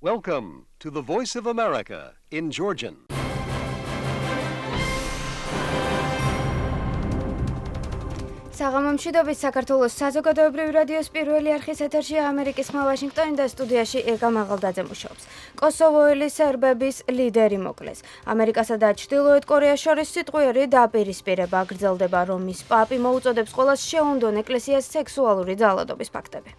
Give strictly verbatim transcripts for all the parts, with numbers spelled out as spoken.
Welcome to the Voice of America in Georgian. საღამომშვიდობის საქართველოს საზოგადოებრივი რადიოს პირველი არხის ეთერში ამერიკის ხმა ვაშინგტონი და სტუდიაში ეკა მაღალდაძე მუშაობს. კოსოვოელი სერბების ლიდერი მოკლეს. ამერიკასა და ჩრდილოეთ კორეას შორის სიტყვიერი დაპირისპირება გრძელდება, რომის პაპი მოუწოდებს ყველას შეუნდონ ეკლესიას სექსუალური ძალადობის ფაქტები.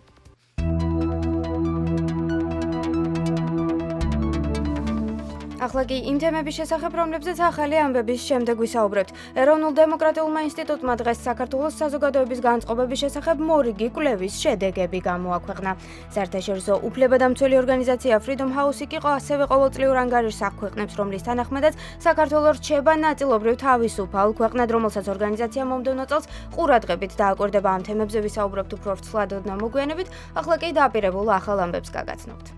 ახლა კი იმ თემების შესახებ, რომლებზეც ახალი ამბების შემდეგ ვისაუბრებთ. ეროვნულ დემოკრატიულმა ინსტიტუტმა დღეს საქართველოს საზოგადოების განწყობების შესახებ მორიგი კვლევის შედეგები გამოაქვეყნა. საერთაშორისო უფლებადამცველი ორგანიზაცია Freedom House კი ასევე ყოველწლიურ ანგარიშს აქვეყნებს, რომლის თანახმადაც საქართველოს რჩება ნაწილობრივ თავისუფალ ქვეყნად, რომელსაც ორგანიზაცია მომდევნო წელს ყურადღებით დააკვირდება. ამ თემებზე ვისაუბრებთ უფრო ვრცლად და მოგვიანებით. ახლა კი დააპირებულ ახალ ამბებს გაგაცნობთ.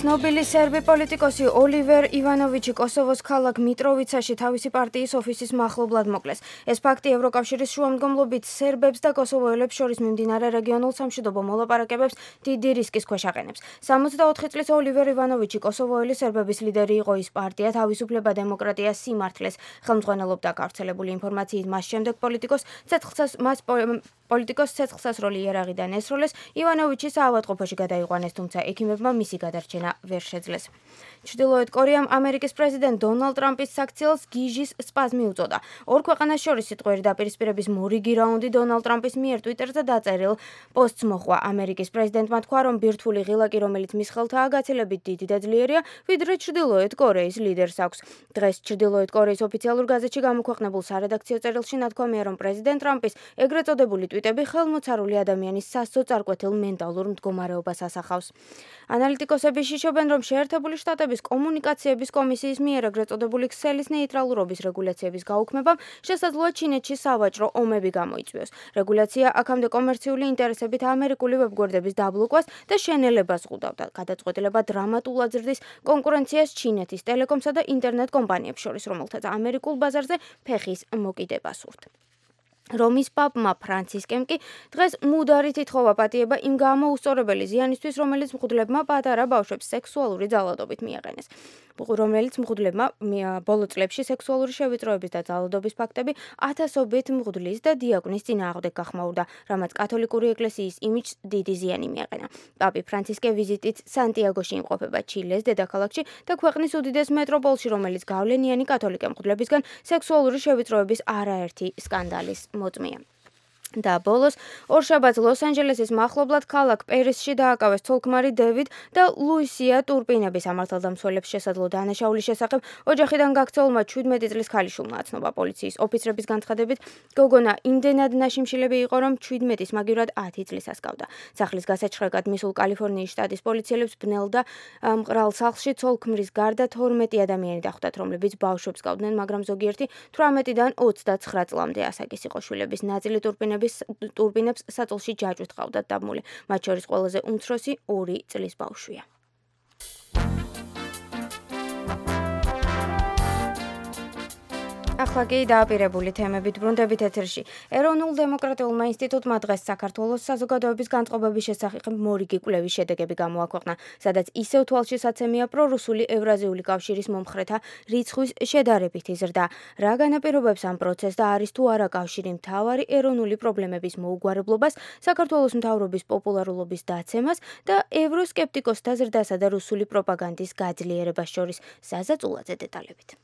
ცნობილი სერბი პოლიტიკოსი ოლივერ ივანოვიჩი კოსოვოს ქალაქ მიტროვიცაში თავისი პარტიის ოფისის მახლობლად მოკლეს. ეს ფაქტი ევროკავშირის შუამდგომლობით სერბებს და კოსოვოელებს შორის მიმდინარე რეგიონულ სამშვიდობო მოლაპარაკებებს დიდი რისკის ქვეშ აყენებს. სამოცდაოთხი წლის ოლივერ ივანოვიჩი კოსოვოელი სერბების ლიდერი იყო. ის პარტია თავისუფლება, დემოკრატია, სიმართლეს ხელმძღვანელობდა. გავრცელებული ინფორმაციით მას შემდეგ პოლიტიკოს ცეცხლსას მას პოლიტიკოს ცეცხლსასროლი იარაღიდან ესროლეს. ივანოვიჩი საავადმყოფოში გადაიყვანეს, თუმცა ექიმებმა მისი გადარჩენა ვერ შეძლეს. ჩრდილოეთ კორეამ ამერიკის პრეზიდენტ დონალდ ტრამპის საქციელს გიჟის სპაზმი უწოდა. ორ ქვეყანას შორის სიტყვიერი დაპირისპირების მორიგი რაუნდი დონალდ ტრამპის მიერ ტვიტერზე დაწერილ პოსტს მოხვა. ამერიკის პრეზიდენტმა თქვა, რომ ბირთვული ღილაკი, რომელიც მის ხელთაა, გაცილებით დიდი და ძლიერია, ვიდრე ჩრდილოეთ კორეის ლიდერს აქვს. დღეს ჩრდილოეთ კორეის ოფიციალურ გაზეთში გამოქვეყნებულ სარედაქციო წერილში ნათქვამია, რომ პრეზიდენტ ტრამპის ეგრეთ წოდებული ტვიტები ხელმოცარული ადამიანის სასოწარკვეთილ მენტალურ მდგომარეობას ასახავს. ანალიტიკოსები შიშობენ, რომ შეერთებული შტატების კომუნიკაციების კომისიის მიერ ეგრეთ წოდებული ქსელის ნეიტრალურობის რეგულაციების გაუქმებამ შესაძლოა ჩინეთში სავაჭრო ომები გამოიწვიოს. რეგულაცია აქამდე კომერციული ინტერესებით ამერიკული ვებგვერდების დაბლოკვას და შენელებას ხვდავდა. გადაწყვეტილება დრამატულად ზრდის კონკურენციას ჩინეთის ტელეკომსა და ინტერნეტ კომპანიებს შორის, რომელთაც ამერიკულ ბაზარზე ფეხის მოკიდება სურთ. რომის პაპმა ფრანცისკემ კი დღეს მუდარი თითხოვა პატიება იმ გამოუსწორებელი ზიანისთვის, რომელიც მღვდლებმა პატარა ბავშვებს სექსუალური ძალადობით მიაყენეს. რომელიც მღვდლებმა ბოლო წლებში სექსუალური შევიწროების და ძალადობის ფაქტები ათასობით მღვდლის და დიაკვნის წინააღმდეგ გახმაურდა, რამაც კათოლიკური ეკლესიის იმიჯს დიდი ზიანი მიაყენა. პაპი ფრანცისკე ვიზიტით სანტიაგოში იმყოფება, ჩილეს დედაქალაქში და ქვეყნის უდიდეს მეტროპოლში, რომელიც გავლენიანი კათოლიკე მღვდლებისგან სექსუალური შევიწროების არაერთი სკანდალის მოწმეა. და ბოლოს ორშაბათს ლოს-ანჯელესის მახლობლად ქალაქ პერისში დააკავეს ცოლ-ქმარი დევიდ და ლუისია ტურპინების ამართალდამცველებს შესაძლო დანაშაულის შესახებ ოჯახიდან გაქცეულმა ჩვიდმეტი წლის ქალიშვილმა აცნობა. პოლიციის ოფიცრების განცხადებით, გოგონა იმდენად ნაშიმშილები იყო, რომ ჩვიდმეტის მაგივრად ათი წლის ასკავდა. სახლის გასაჩხრეკად მისულ კალიფორნიის შტატის პოლიციელებს ბნელ და მყრალ სახლში ცოლ-ქმრის გარდა თორმეტი ადამიანი დახვდათ, რომლებიც ბავშვებს გავდნენ, მაგრამ ზოგიერთი თვრამეტიდან ოცდაცხრა წლამდე ასაკის იყო. შვილების ნაწილი ტურპინების ტურბინებს საწოლში ჯაჭვით ყავდათ დაბმული. მათ შორის ყველაზე უმცროსი ორი წლის ბავშვია. ახლა კი დააპირებული თემებით ბრუნდებით ეთერში. ეროვნულ დემოკრატიულმა ინსტიტუტმა დღეს საქართველოს საზოგადოების განწყობების შესახებ მორიგი კვლევის შედეგები გამოაქვეყნა, სადაც ისევ თვალშისაცემია პრორუსული ევრაზიული კავშირის მომხრეთა რიცხვის შედარებითი ზრდა. რა განაპირობებს ამ პროცესს და არის თუ არა კავშირი მთავარი ეროვნული პრობლემების მოუგვარებლობას, საქართველოს მთავრობის პოპულარულობის დაცემას და ევროსკეპტიკოსთა ზრდასა და რუსული პროპაგანდის გაძლიერებას შორის. საზა წულაძე დეტალებით.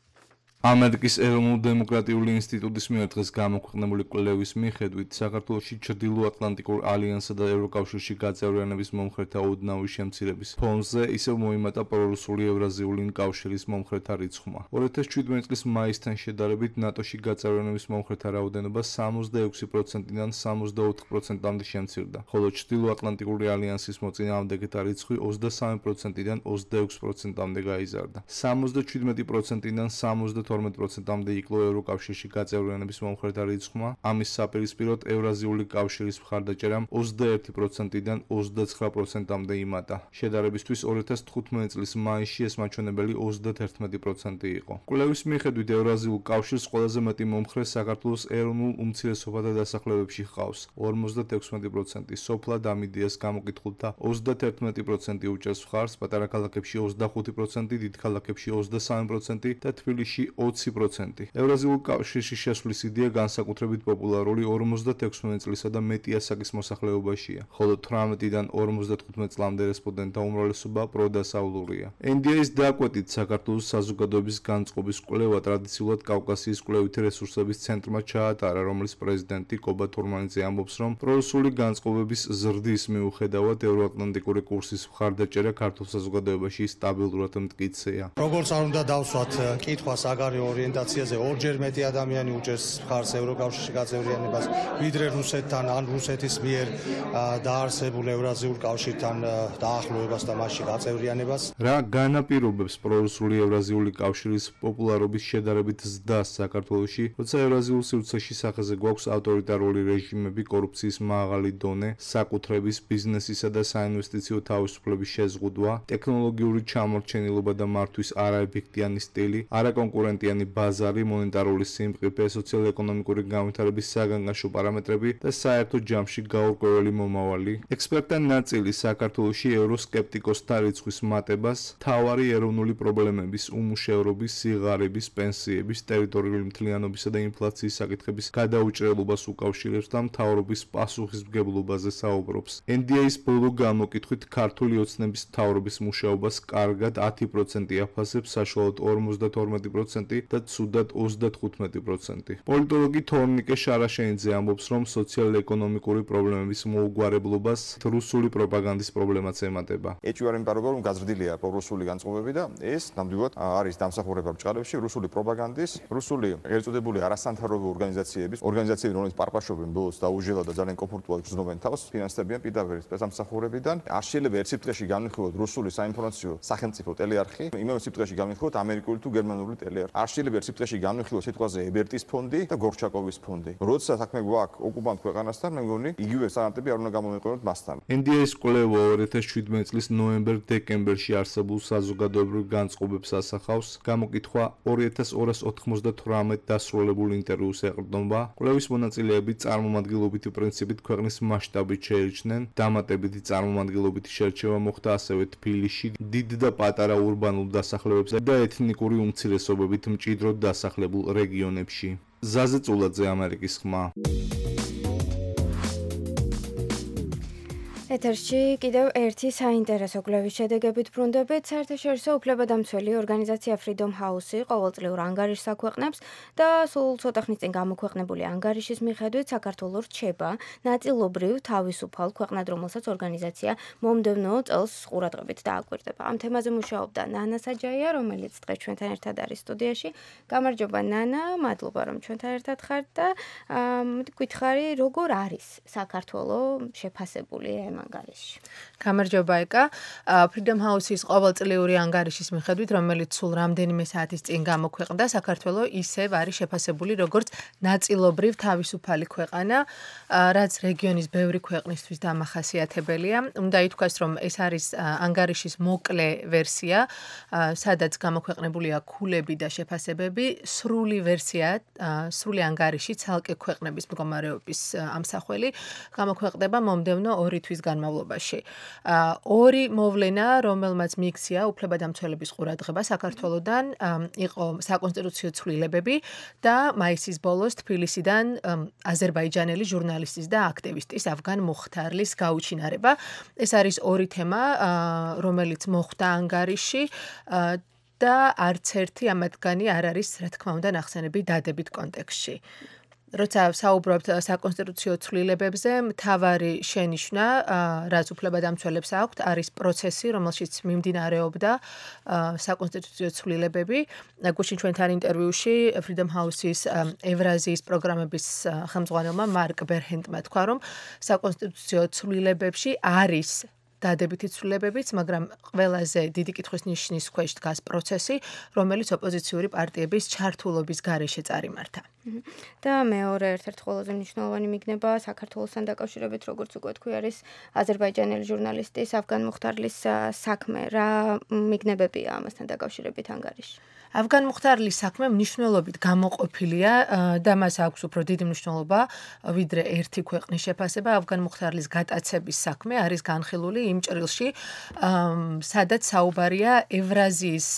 ამერიკის ეროვნულ დემოკრატიული ინსტიტუტის მიერ დღეს გამოქვეყნებული კვლევის მიხედვით, საქართველოში ჩრდილოატლანტიკურ ალიანსსა და ევროკავშირში გაწევრიანების მომხრეთა ოდნავი შემცირების ფონზე ისევ მოიმატა პრორუსული ევრაზიული კავშირის მომხრეთა რიცხვმა. ორი ათას შვიდმეტი წლის მაისთან შედარებით ნატოში გაწევრიანების მომხრეთა რაოდენობა სამოცდაექვსი პროცენტიდან სამოცდაოთხ პროცენტამდე შემცირდა, ხოლო ჩრდილოატლანტიკური ალიანსის მოწინააღმდეგეთა რიცხვი ოცდასამი პროცენტიდან ოცდაექვსი პროცენტამდე გაიზარდა. სამოცდაშვიდმეტი პროცენტიდან სამოცდათვრამეტი თორმეტ პროცენტამდე იკლო ევროკავშირში გაწევრიანების მომხრეთა რიცხვმა. ამის საპირისპიროდ ევრაზიული კავშირის მხარდაჭერამ ოცდაერთი პროცენტიდან ოცდაცხრა პროცენტამდე იმატა. შედარებისთვის ორი ათას თხუთმეტი წლის მაისში ეს მაჩვენებელი ოცდათერთმეტი პროცენტი იყო. კვლევის მიხედვით ევრაზიულ კავშირს ყველაზე მეტი მომხრე საქართველოს ეროვნულ უმცირესობათა დასახლებებში ჰყავს ორმოცდათექვსმეტი პროცენტი, სოფლად ამ იდეას გამოკითხულთა ოცდათერთმეტი პროცენტი უჭერს მხარს, პატარა ქალაქებში ოცდახუთი პროცენტი, დიდ ქალაქებში ოცდასამი პროცენტი და თბილისში ოცი პროცენტი. ევრაზიულ კავშირში შესვლის იდეა განსაკუთრებით პოპულარული ორმოცდათექვსმეტი წლისა და მეტი ასაკის მოსახლეობაშია, ხოლო თვრამეტიდან ორმოცდათხუთმეტ წლამდე რესპონდენტთა უმრავლესობა პროდასავლურია. εν დი ეის დაკვეთით საქართველოს საზოგადოების განწყობის კვლევა ტრადიციულად კავკასიის კვლევითი რესურსების ცენტრმა ჩაატარა, რომლის პრეზიდენტი კობა თურმანიძე ამბობს, რომ პრორუსული განწყობების ზრდის მიუხედავად ევროატლანტიკური კურსის მხარდაჭერა ქართულ საზოგადოებაში სტაბილურად მტკიცეა. როგორც არ უნდა დავსვათ კითხვას საგარეო ორიენტაციაზე, ორჯერ მეტი ადამიანი უჭერს მხარს ევროკავშირში გაწევრიანებას, ვიდრე რუსეთთან ან რუსეთის მიერ დაარსებულ ევრაზიულ კავშირთან დაახლოებას და მასში გაწევრიანებას. რა განაპირობებს პრორუსული ევრაზიული კავშირის პოპულარობის შედარებით ზრდას საქართველოში, როცა ევრაზიულ სივრცეში სახეზე გვაქვს ავტორიტარული რეჟიმები, კორუფციის მაღალი დონე, საკუთრების, ბიზნესისა და საინვესტიციო თავისუფლების შეზღუდვა, ტექნოლოგიური ჩამორჩენილობა და მართვის არაეფექტიანი სტილი, არაკონკურენტიანი ბაზარი, მონეტარული სიმყიფე, სოციალურ-ეკონომიკური განვითარების საგანგაშო პარამეტრები და საერთო ჯამში გაურკვეველი მომავალი. ექსპერტთა ნაწილი საქართველოში ევროსკეპტიკოსთა რიცხვის მატებას მთავარი ეროვნული პრობლემების, უმუშევრობის, სიღარიბის, პენსიების, ტერიტორიული მთლიანობისა და ინფლაციის საკითხების გადაუჭრელობას უკავშირებს და მთავრობის პასუხისმგებლობაზე საუბრობს. εν დი ეის ბოლო გამოკითხვით ქართული ოცნების მთავრობის მუშაობას კარგად ათი პროცენტი აფასებს, საშუალოდ ორმოცდათორმეტი პროცენტი და ცუდად ოცდათხუთმეტი პროცენტი. პოლიტოლოგი თორნიკე შარაშენიძე ამბობს, რომ სოციალურ-ეკონომიკური პრობლემების მოუგვარებლობას რუსული პროპაგანდის პრობლემაც ემატება. ეჭვი არ იმპარობა, რომ გაზრდილია პრორუსული განწყობები და ეს ნამდვილად არის დამსახურება ბჭყალებში რუსული პროპაგანდის, რუსული ეგრეთ წოდებული არასამთავრობო ორგანიზაციების, ორგანიზაციები, რომელიც პარპაშობენ ბოლოს დაუჟელად და ძალიან კომფორტულად გრძნობენ თავს, ფინანსდებიან პირდაპირ სპეცსამსახურებიდან. არ შეიძლება ერთ სიტყვაში განვიხილოთ რუსული საინფორმაციო სახელმწიფო ტელეარხი, იმავე სიტყვაში განვიხილოთ ამერიკული თუ გერმანული ტელეარხი. არ შეიძლება ერთ სიტყვაში განვიხილოთ სიტყვაზე ებერტის ფონდი და გორჩაკოვის ფონდი. როცა საქმე გვაქვს ოკუპანტ ქვეყანასთან, მე მგონი იგივე სტანდარტები არ უნდა გამომიყენოთ მასთან. εν დი ეის კვლევა ორი ათას შვიდმეტი წლის ნოემბერ-დეკემბერში არსებულ საზოგადოებრივ განწყობებს ასახავს. გამოკითხვა ორი ათას ორას ოთხმოცდათვრამეტ დასრულებულ ინტერვიუს ეყრდნობა. კვლევის მონაწილეები წარმომადგენლობითი პრინციპით ქვეყნის მასშტაბით შეირჩნენ. დამატებითი წარმომადგენლობითი შერჩევა მოხდა ასევე თბილისში, დიდ და პატარა ურბანულ დასახლებებზე და ეთნიკური უმცირესობებით მჭიდროდ დასახლებულ რეგიონებში. ზაზე წულაძე, ამერიკის ხმა. ეთერში კიდევ ერთი საინტერესო კვლევის შედეგებით ბრუნდებით. საერთაშორისო უფლებადამცველი ორგანიზაცია Freedom House-ი ყოველწლიურ ანგარიშს აქვეყნებს და სულ ცოტა ხნის წინ გამოქვეყნებული ანგარიშის მიხედვით საქართველო რჩება ნაწილობრივ თავისუფალ ქვეყნად, რომელსაც ორგანიზაცია მომდევნო წელს ყურადღებით დააკვირდება. ამ თემაზე მუშაობდა ნანა საჯაია, რომელიც დღეს ჩვენთან ერთად არის სტუდიაში. გამარჯობა ნანა, მადლობა რომ ჩვენთან ერთად ხართ და გითხარი, როგორ არის საქართველო შეფასებული ამ ანგარიში. გამარჯობა ეკა. Freedom House-ის ყოველწლიური ანგარიშის მიხედვით, რომელიც სულ რამდენიმე საათის წინ გამოქვეყნდა, საქართველო ისევ არის შეფასებული როგორც ნაწილობრივ თავისუფალი ქვეყანა, რაც რეგიონის ბევრი ქვეყნისთვის დამახასიათებელია. უნდა ითქვას, რომ ეს არის ანგარიშის მოკლე ვერსია, სადაც გამოქვეყნებულია ქულები და შეფასებები. სრული ვერსია, სრული ანგარიში ცალკე ქვეყნების მდგომარეობის ამსახველი გამოქვეყნდება მომდევნო ორი თვის განმავლობაში. ორი მოვლენა, რომელმაც მიიქცია უფლებადამცველების ყურადღება საქართველოდან, იყო საკონსტიტუციო ცვლილებები და მაისის ბოლოს თბილისიდან აზერბაიჯანელი ჟურნალისტის და აქტივისტის ავგან მუხთარლის გაუჩინარება. ეს არის ორი თემა, რომელიც მოხვდა ანგარიში და არც ერთი ამათგანი არ არის, რა თქმა უნდა, ნახსენები დადებით კონტექსტში. როცა საუბრობთ საკონსტიტუციო ცვლილებებზე, მთავარი შენიშვნა, რაც უფლებადამცველებს აქვთ, არის პროცესი, რომელშიც მიმდინარეობდა საკონსტიტუციო ცვლილებები. გუშინ ჩვენთან ინტერვიუში Freedom House-ის ევრაზიის პროგრამების ხელმძღვანელმა მარკ ბერჰენტმა თქვა, რომ საკონსტიტუციო ცვლილებებში არის დადებითი ცვლილებებიც, მაგრამ ყველაზე დიდი კითხვის ნიშნის ქვეშ დგას პროცესი, რომელიც ოპოზიციური პარტიების ჩართულობის გარეშე წარიმართა. და მეორე ერთ-ერთი ყველაზე მნიშვნელოვანი მიგნება საქართველოსთან დაკავშირებით, როგორც უკვე თქვი, არის აზერბაიჯანელი ჟურნალისტის ავგან მუხტარლის საქმე. რა მიგნებებია ამასთან დაკავშირებით ანგარიში? ავგან მუხტარლის საქმე მნიშვნელობით გამოყოფილია და მას აქვს უფრო დიდი მნიშვნელობა, ვიდრე ერთი ქვეყნის შეფასება. ავგან მუხტარლის გატაცების საქმე არის განხილული იმ ჭრილში, სადაც საუბარია ევრაზიის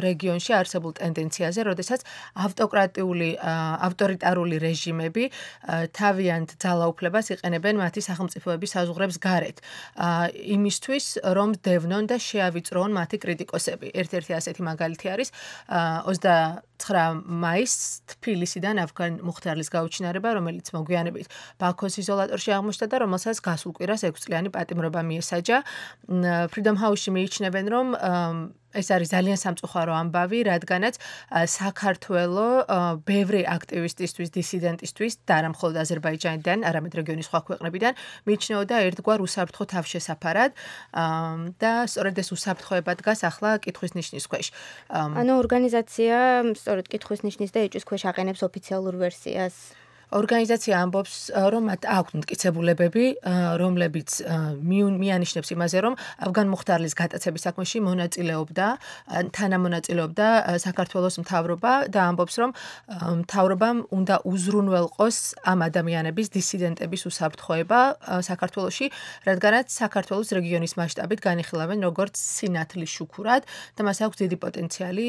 რეგიონში არსებულ ტენდენციაზე, როდესაც ავტოკრატიული, ავტორიტარული რეჟიმები თავიანთ ძალაუფლებას იყენებენ მათი სახელმწიფოების საზღვრებს გარეთ, იმისთვის, რომ დევნონ და შეავიწროონ მათი კრიტიკოსები. ერთ-ერთი ასეთი მაგალითი არის ოცდაცხრა მაისს თბილისიდან ავგან მუხტარლის გაუჩინარება, რომელიც მოგვიანებით ბაქოს იზოლატორში აღმოჩნდა და რომელსაც გასულ კვირას ექვსწლიანი პატიმრობა მიესაჯა. Freedom House-ში მიიჩნევენ, რომ ეს არის ძალიან სამწუხარო ამბავი, რადგანაც საქართველო ბევრი აქტივისტისთვის, დისიდენტისთვის და არა მხოლოდ აზერბაიჯანიდან, არამედ რეგიონის სხვა ქვეყნებიდან მიიჩნეოდა ერთგვარ უსაფრთხო თავშესაფარად და სწორედ ეს უსაფრთხოება დგას ახლა კითხვის ნიშნის ქვეშ. ანუ ორგანიზაცია სწორედ კითხვის ნიშნის და ეჭვის ქვეშ აყენებს ოფიციალურ ვერსიას. ორგანიზაცია ამბობს, რომ მათ აქვთ მტკიცებულებები, რომლებიც მიანიშნებს იმაზე, რომ ავგან მუხტარლის გატაცების საქმეში მონაწილეობდა, თანამონაწილეობდა საქართველოს მთავრობა და ამბობს, რომ მთავრობამ უნდა უზრუნველყოს ამ ადამიანების, დისიდენტების უსაფრთხოება საქართველოში, რადგანაც საქართველოს რეგიონის მასშტაბით განიხილავენ როგორც სინათლის შუქურად და მას აქვს დიდი პოტენციალი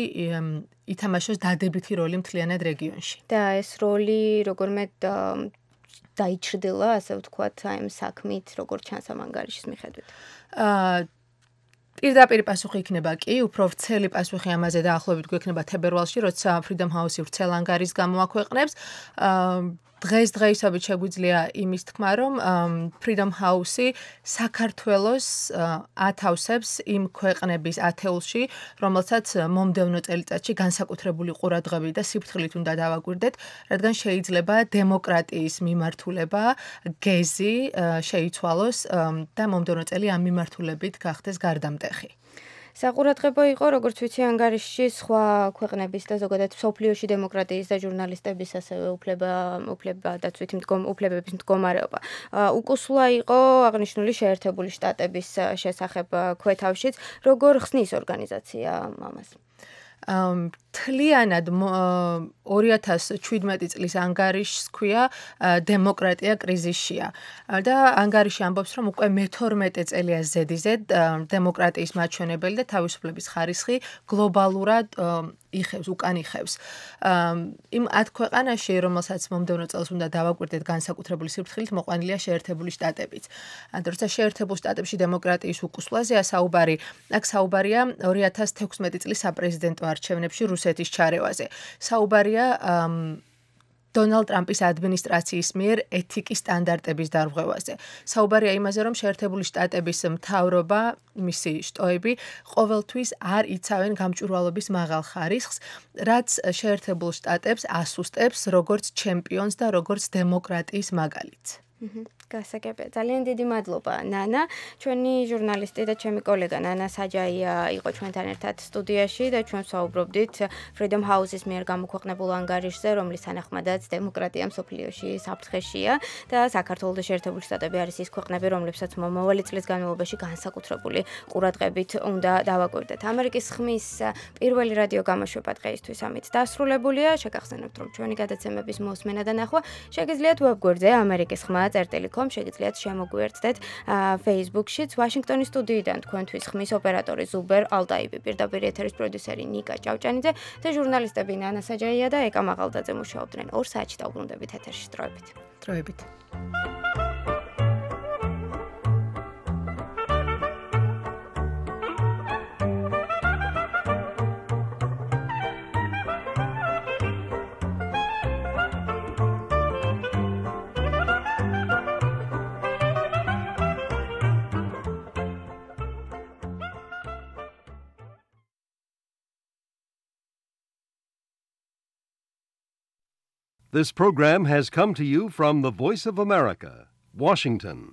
ითამაშოს დადებითი როლი მთლიანად რეგიონში. და ეს როლი როგორმე დაიჩრდილა, ასე ვთქვათ, აი ამ საქმით, როგორც ჩანს ამ ანგარიშის მიხედვით. აა პირდაპირ პასუხი იქნება კი, უფრო ვრცელი პასუხი ამაზე დაახლოებით გვექნება თებერვალში, როცა Freedom House-ი ვრცელ ანგარიშს გამოაქვეყნებს. აა დღეს დღეისობით შეგვიძლია იმის თქმა, რომ Freedom House-ი საქართველოს ათავსებს იმ ქვეყნების ათეულში, რომელსაც მომდევნო წელიწადში განსაკუთრებული ყურადღებით და სიფრთხილით უნდა დავაკვირდეთ, რადგან შეიძლება დემოკრატიის მიმართულება, გეზი შეიცვალოს და მომდევნო წელი ამ მიმართულებით გახდეს გარდამტეხი. საყურადღებო იყო, როგორც ვიცი, ანგარიშში სხვა ქვეყნების და ზოგადად მსოფლიოში დემოკრატიის და ჟურნალისტების ასევე უფლება, უფლება დაცვითი უფლებების მდგომარეობა. უკუსლა იყო აღნიშნული შეერთებული შტატების შესახებ ქვეთავშიც. როგორ ხსნის ორგანიზაცია ამას? თლიანად ორი ათას ჩვიდმეტი წლის ანგარიშს ქვია დემოკრატია კრიზისშია და ანგარიში ამბობს, რომ უკვე მეთორმეტე წელია ზედიზედ დემოკრატიის მაჩვენებელი და თავისუფლების ხარისხი გლობალურად იხევს, უკან იხევს. იმ ათ ქვეყანაში, რომელსაც მომდევნო წელს უნდა დავაკვირდეთ განსაკუთრებული სიფრთხილით, მოყვანილია შეერთებული შტატებიც. როცა შეერთებულ შტატებში დემოკრატიის უკუსვლაზეა საუბარი, აქ საუბარია ორი ათას თექვსმეტი წლის საპრეზიდენტო არჩევნებში რუსეთის ჩარევაზე. საუბარია დონალდ ტრამპის ადმინისტრაციის მიერ ეთიკის სტანდარტების დარღვევაზე. საუბარია იმაზე, რომ შეერთებული შტატების მთავრობა, მისი შტოები ყოველთვის არ იცავენ გამჭვირვალობის მაღალ ხარისხს, რაც შეერთებულ შტატებს ასუსტებს როგორც ჩემპიონს და როგორც დემოკრატიის მაგალითს. გასაგებია. ძალიან დიდი მადლობა, ნანა. ჩვენი ჟურნალისტი და ჩემი კოლეგა ნანა საჯაია იყო ჩვენთან ერთად სტუდიაში და ჩვენ საუბრობდით Freedom House-ის მიერ გამოქვეყნებულ ანგარიშზე, რომლის თანახმადაც დემოკრატია მსოფლიოში საფრთხეშია და საქართველოს და შეერთებული შტატები არის ის ქვეყნები, რომლებსაც მომავალი წლის განმავლობაში განსაკუთრებული ყურადღებით უნდა დავაკვირდეთ. ამერიკის ხმის პირველი რადიო გამოშვება დღეისთვის ამით დასრულებულია. შეგახსენებთ, რომ ჩვენი გადაცემების მოსმენა და ნახვა შეგიძლიათ ვებგვერდზე ამერიკის ხმა წერტილი შეგიძლიათ შემოგვიერთდეთ Facebook-შიც. ვაშინგტონის სტუდიიდან თქვენთვის ხმის ოპერატორი ზუბერ ალდაიბი, პირდაპირ ეთერის პროდიუსერი ნიკა ჭავჭანიძე და ჟურნალისტები ნანა საჯაია და ეკა მაღალდაძე მუშაობდნენ ორ საათში დაუბრუნდებით ეთერში. დროებით. დროებით. This program has come to you from the Voice of America, Washington.